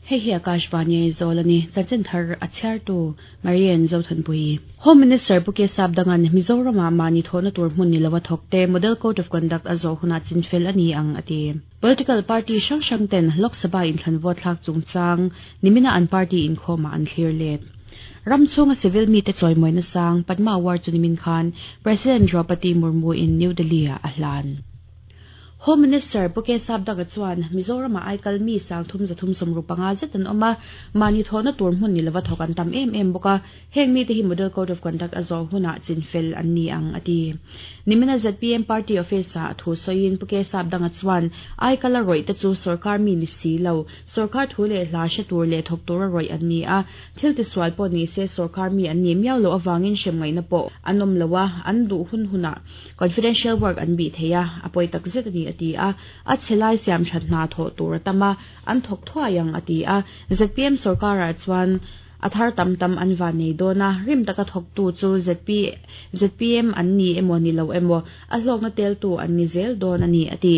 Hei hi Akashvani Aizawl a ni. Chanchin thar a chhiartu Marian Zothanpuii. Home Minister Pu Kesap Dangan Mizoramah mahni thawhna tur hmun ni lova thawkte Model Code of Conduct a zawh hunah chinfel a ni ang a ti. Political party hrang hrang ten Lok Sabha inthlan vote thlak chungchang nimina an party inkhawmah an thlir let. Ram chhunga civil mite chawimawina sang Padma Award chu nimin khan President Draupadi Murmu in New Delhi-ah a hlan. Home Minister Pu Kesap Daga chuan Mizoramah aikal mi 3375 zet an awm a, mahni thawhna tur hmun ni lova thawk an tam em em bawk a, heng mite hi Model Code of Conduct a zawh hunah chinfel an ni ang a ti. Nimina zpm Party Office-ah thu sawiin Pu Kesap Danga chuan aikal a rawih te chu sorkar mi ni si lo, sorkar thu leh hla hre tur leh thawk tura rawih an ni a, thil tisual pawh ni se sorkar mi an nih miau loh avangin hrem ngaihna pawh an awm lo a, an duh hun hunah Confidential work an bih thei a, a pawi tak zet a ni a ti a. A chhe lai siam that hna thawh tur a tam a, an thawk thuai ang a ti a. Zpm sorkarah chuan a thar tam tam an van nei dawn a, rim taka thawktu chu ZP zpm an ni emaw ni lo emaw a hlawkna teltu an ni zel dawn a ni a ti.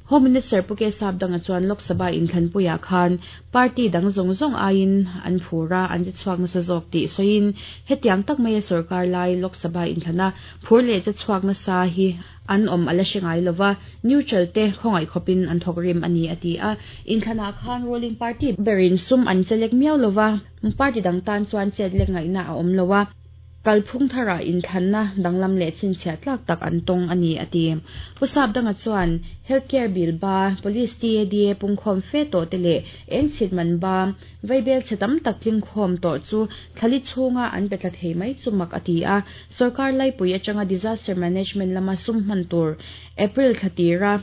Home Minister Pu Kesap Danga chuan Lok Sabha inthlanpuiah khan Party dang zawng zawng aiin an phur a, an che chhuak nasa zawk tih sawiin hetiang tak maia sorkar lai Lok Sabha inthlana Phur leh che chhuak nasa hi an awm a la hre ngai lova, neutral te khawngaih khawpin an thawk rim a ni a ti a. Inthlanah khan ruling party berin sum an che lek miau lova, party dang tan chuan chet lek ngaihna a awm lo a. Kalphung tharah inthlanna danglam leh chhinchhiah tlak tak an tawng a ni a ti. Pu Sapdanga chuan Health Care Bill ba, Police TADA pungkhawm fe tawh te leh eng chhit man ba, Vaibel chhe tam tak tlingkhawm tawh chu thlali chhunga an pe tla thei mai chu mak a ti a. Sorkar laipui atanga disaster management lama sum hman tur April thla tira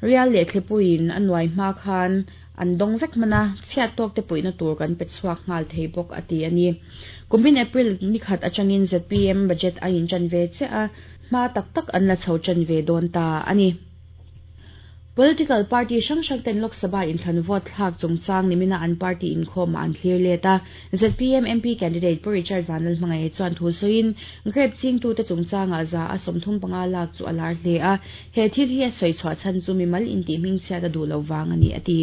rial leh thlipuiin a nuai hma khan an dawng vek hman a, chhiat tawk te puihna tur kan pe chhuak nghal thei bawk a ti a ni. Kumin April ni khat atangin zpm budget a intan ve chiah a, hma tak tak an la chho tan ve dawn ta a ni. Political party hrang hrang ten Lok Sabha inthlan vote thlak chungchang nimina an party inkhawmah an thlir let a. Zpm MP candidate Pu Richard Vanlalhmangaih chuan thu sawiin grape chingtute chungchangah za a 35 lak chu a lar hle a, he thil hi a sawi chhuah chhan chu mimal intih hmingchhiat a duh loh vang a ni a ti.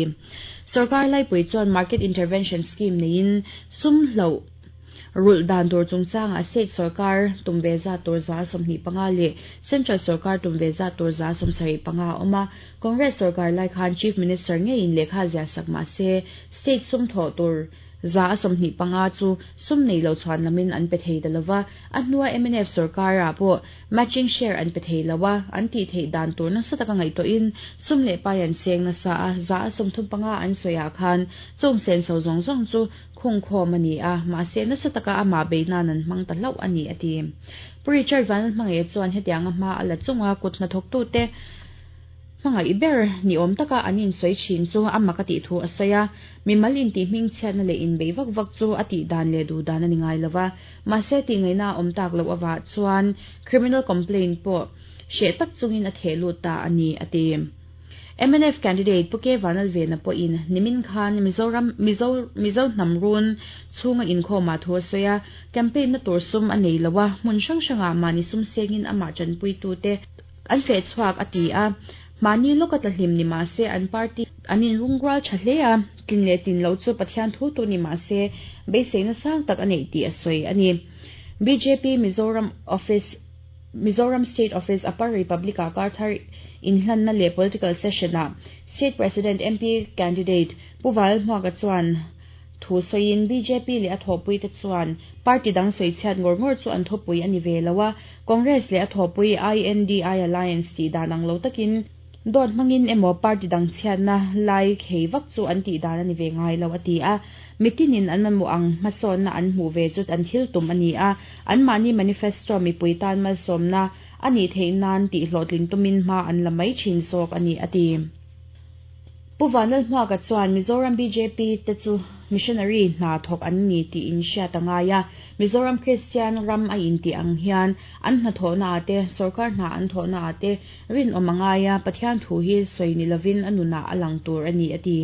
Sorkar laipui chuan market intervention scheme neiin sum hloh Rulh dan tur chungchangah state sorkar tum ve zat tur 25% leh central sorkar tum ve zat tur 75% a awm a. Congress sorkar lai khan Chief Minister ngeiin lehkha ziah sak mah se state sum thawh tur 25% chu sum nei lo chhuan lamin an pe thei ta lova. A hnua mnf sorkarah pawh matching share an pe thei lo a, an tih theih dan tur nasa taka ngaihtuahin sum leh pai an seng nasa a, 35% an sawiah khan chung senso zawng zawng chu Khungkhawm a ni a, mahse nasa taka amah bei nan an hmang ta hlauh a ni a ti. Pu Richard Vanlalhmangaih chuan hetianga hma a la chunga kut hnathawktute hmangaih ber ni awm taka an insawi thin chu a mak a tih thu a sawi a, mimal intih hmingchhiatna leh inbeih vak vak chu a tih dan leh duh dan a ni ngai lova, mahse tihngaihna a awm tak loh avah chuan criminal complaint pawh hreh tak chungin a theh lut ta a ni a ti. Mnf candidate Pu K Vanlalvena pawhin nimin khan Mizoram Mizo Mizo hnam run chhunga inkhawmah thu a sawi a, campaign na tur sum a nei lo a, hmun hrang hrangah mahni sum sengin amah tanpuitute an feh chhuak a ti a, mahni lawka tla hlim ni mah se an party an inrungrual tha hle a, tlin leh tlin lo chu Pathian thu tu ni mah se beiseina sang tak a neih tih a sawi a ni. Bjp Mizoram Office. Mizoram State Office Upper Republic-ah karthar inhlanna leh political session-ah State President MP candidate Pu Valhmuaka chuan thu sawiin bjp leh a thawhpuite chuan party dang sawichhiat ngawr ngawr chu an thawpui a ni ve lo a, Congress leh a thawhpui INDI Alliance tih dan ang lo takin dawt hmangin emaw party dang chhiatna lai khei vak chu an tih dan a ni ve ngai lo a ti a. Mitinin an mamawh ang hmasawnna an hmuh ve chu an thil tum a ni a, anmahni manifesto mipui tan malsawmna a nih theih nan tih hlawhtlin tumin hma an la mai thin zawk a ni a ti. Pu Vanlalhmuaka chuan Mizoram bjp te chu missionary hna thawk an ni tih in hriat a ngai a, Mizoram Kristian ram a intih ang hian an hnathawhna ah te, sorkar hna an thawhna ah te rinawm a ngai a, Pathian thu hi sawi ni lovin a nunah a lang tur a ni a ti.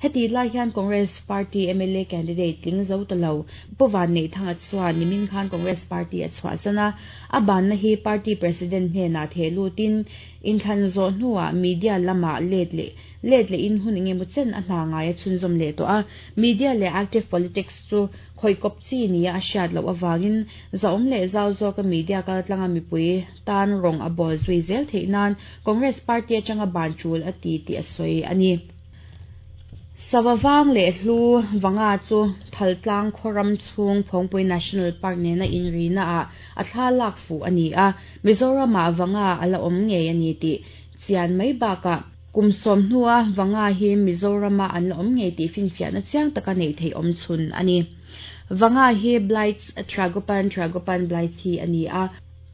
Hetih lai hian Congress Party mla candidate tling zo ta lo Pu Vanneihthanga chuan nimin khan Congress Party a chhuahsan a, a banna hi party president hnenah theh lutin inthlan zawh hnuah media lamah let leh let lehin hun engemaw chen a hna ngai a chhunzawm leh tawh a. Media leh active politics chu khawih kawp chi nia a hriat loh avangin zahawm leh zau zawka media kaltlanga mipui tan rawng a bawl zui zel theih nan Congress Party atanga ban tul a ti tih a sawi a ni. Sava vang leh hlu vanga chu Thaltlang khaw ram chhung Phawngpui National Park nena inrina ah a thla lak fuh a ni a, Mizoramah vanga a la awm ngei a ni tih chian mai bakah kum 10 hnua vanga hi Mizorama an la awm ngei tih finfiahna chiang taka neih theih awm chhun a ni. Vanga hi Blyth's Tragopan Tragopan blythi a ni a.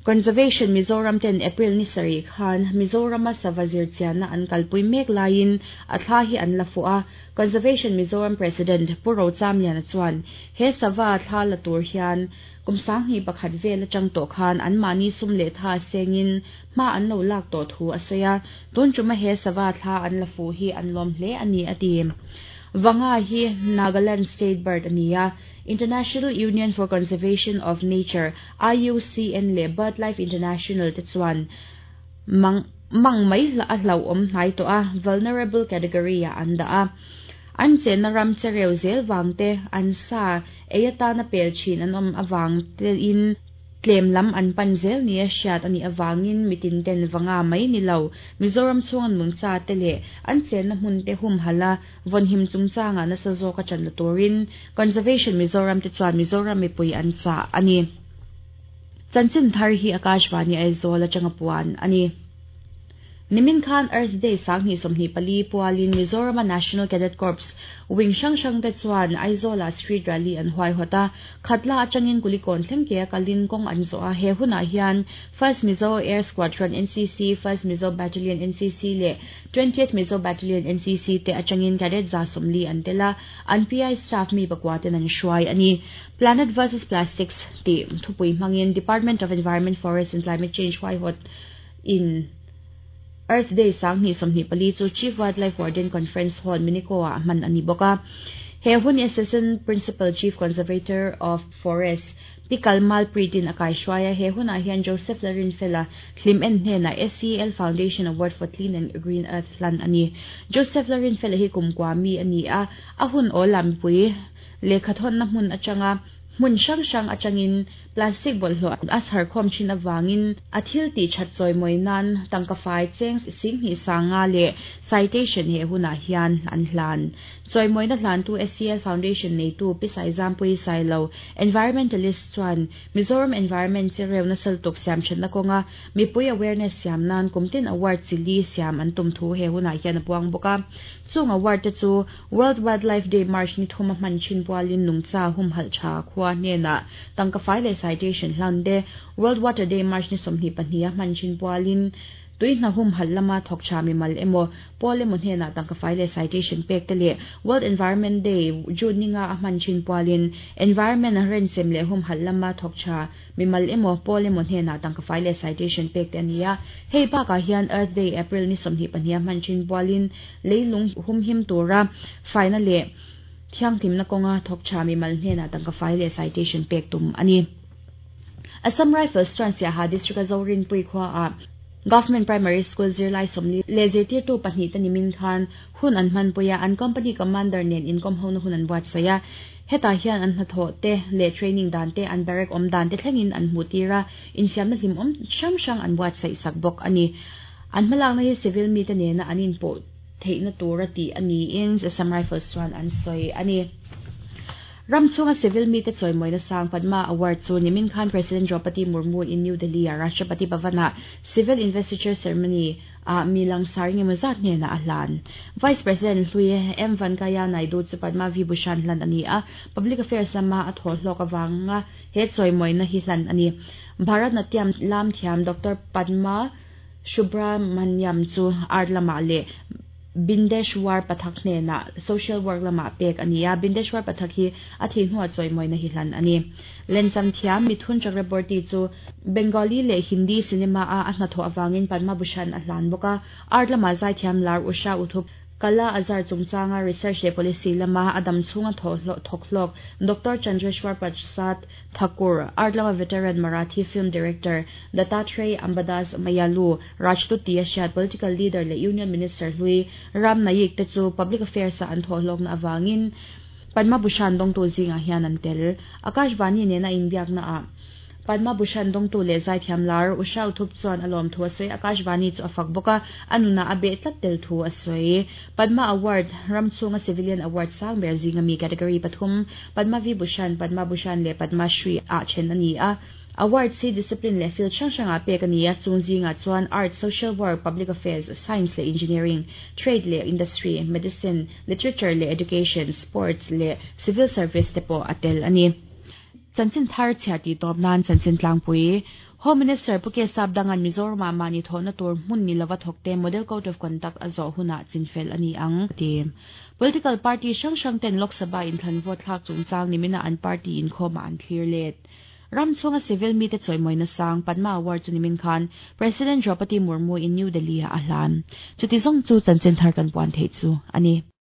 Conservation Mizoram ten April ni sarih khan Mizorama sava zirchianna an kalpui mek laiin a thla hi an la fuh a. Conservation Mizoram President Pu Rochamliana chuan he sava thla la tur hian kum 2001 vel atang tawh khan anmahni sum leh tha sengin hma an lo lak tawh thu a sawi a. Tun tuma he sava thla an la fuh hi an lawm hle a ni a ti. Vanga hi Nagaland State Bird a ni a. International Union for Conservation of Nature, IUCN, leh BirdLife International te chuan mang mang mai a hlauhawm hnai tawh a, vulnerable category ah an dah a. An chenna ram chereu zel vang te, an sa ei atana pel thin an awm avang tein tlem lam an pan zel nia hriat a nih avangin mitin ten vanga mai ni lo Mizoram chhunga nungcha te leh an chenna hmun te humhalh a vawnhim chungchanga nasa zawk a ṭan la turin Conservation Mizoram te chuan Mizoram mipui an chah a ni. Chanchin thar hi Akashvani Aizawl atanga puan a ni. Nimin khan Earth Day 2024 pualin Mizorama National Cadet Corps wing hrang hrang te chuan Aizawlah street rally an huaihawt a. Khatla atangin Kulikawn thleng ke a kalin kawng an zawh a. He hunah hian First Mizo Air Squadron NCC, First Mizo Battalion NCC leh 20th Mizo Battalion NCC te atangin cadet 140 an tel a, an PI staff mi pakua ten an hruai a ni. Planet versus Plastics tih thupui hmangin Department of Environment, Forest and Climate Change huaihawt in Earth Day 2024 chu Chief Wildlife Warden Conference Hall Minico ah hman a ni bawk a. He hun hi Assistant Principal Chief Conservator of Forests Pi Kalmal Preet-in a kaihruai a. He hunah hian Joseph Larinfela hlim en hnenah SEL Foundation Award for Clean and Green Earth hlan a ni. Joseph Larinfela hi kumkua mi a ni a, a hun awl ah mipui lehkhathawnna hmun atanga hmun hrang hrang atangin plastic bawlhhlawh a chhar khawm thin avangin a thil tih that chawimawi nan tangka fai cheng 75,000 leh citation he hunah hian an hlan. Chawimawina hlantu SEL Foundation neitu Pi Saizampui Sailo, environmentalist chuan Mizoram environment chereu nasa lutuk siam thatna kawnga mipui awareness siam nan kumtin award chili siam an tum thu he hunah hian a puang bawk a. Chung award te chu World Wildlife Day March ni thuma hman thin pualin nungcha humhalh tha khua hnenah tangka fai leh citation hlan te, World Water Day March ni 22 a hman thin pualin tui hna humhalh lama thawk tha mimal emaw pawl emaw hnenah tangka fai leh citation pek te leh World Environment Day June ninga a hman thin pualin environment renchem leh humhalh lama thawk tha mimal emaw pawl emaw hnenah tangka fai leh citation pek te a ni a. Hei bakah hian Earth Day April ni 22 a hman thin pualin leilung humhim tura faina leh thianghlimna kawnga thawk tha mimal hnenah tangka fai leh citation pek tum a ni. Assam Rifles chuan Siaha District a Zorinpui khua ah Government Primary School zirlai 40 leh zirtirtu pahnih te nimin khan hun an hmanpui a, an company commander nen inkawm hona hun an buatsaih a. Hetah hian an hnathawh te leh training dan te, an barrack awm dan te thlengin an hmuh tir a, infiamna hlimawm hrang hrang an buatsaih sak bawk a ni. An hmalakna hi civil mi te nena an inpawh theihna tura tih a niin Assam Rifles chuan an sawi a ni. Ram chhunga civil mi te chawimawina sang Padma Award chu nimin khan President Draupadi Murmu in New Delhi ah Rashtrapati Bhavan ah Civil Investiture Ceremony ah mi langsar engemaw zat hnenah a hlan. Vice President Hlui M Venkaiah Naidu chu Padma Vibhushan hlan a ni a, Public Affairs lama a thawh hlawk avanga he chawimawina hi hlan a ni. Bharatnatyam lam thiam Doctor Padma Subramaniam chu art lamah leh Bindeshwar Pathak hnenah social work lamah pek a ni a, Bindeshwar Pathak hi a thih hnuah chawimawina hi hlan a ni. Lencham thiam Mithun Chakraborty chu Bengali leh Hindi cinema a a hnathawh avangin Padma Bhushan a hlan bawk a, art lamah zaithiam lar Usha Uthup. Kala Azar chungchanga research leh policy lama a dam chhunga thawk hlawk Doctor Chandreshwar Prasad Thakur, art lama veteran Marathi film director Dattatray Ambadas Mayalu, Rajdoot tia hriat political leader leh Union Minister hlui Ram Naik te chu public affairs-a an thawh hlawkna avangin Padma Bhushan dawngtu zingah hian an tel. Akashvani nena inbiaknaah Padma Bhushan dawngtu leh zaithiam lar Usha Uthup chuan a lawm thu a sawi. Akashvani chu a fak bawk a, a nunah a beh tlat tel thu a sawi. Padma Award, ram chhunga civilian award sang ber zinga mi category pathum, Padma Vibhushan, Padma Bhushan leh Padma Shri ah then a ni a. Awards hi discipline leh field hrang hrangah pek a ni a, chung zingah chuan Arts, Social Work, Public Affairs, Science leh Engineering, Trade leh Industry, Medicine, Literature leh Education, Sports leh Civil Service te pawh a tel a ni. Chanchin thar chhiar tih tawp nan chanchin tlangpui Home Minister Pu K Sapdanga'n Mizoramah mahni thawhna tur hmun ni lova thawkte Model Code of Conduct a zawh hunah chinfel a ni ang a ti. Political party hrang hrang ten Lok Sabha inthlan vote thlak chungchang nimina an party inkhawmah an thlir let. Ram chhunga civil mite chawimawina sang Padma Award chu nimin khan President Draupadi Murmu in New Delhi ah a hlan. Chuti zawng chu chanchin thar kan puan theih chu a ni.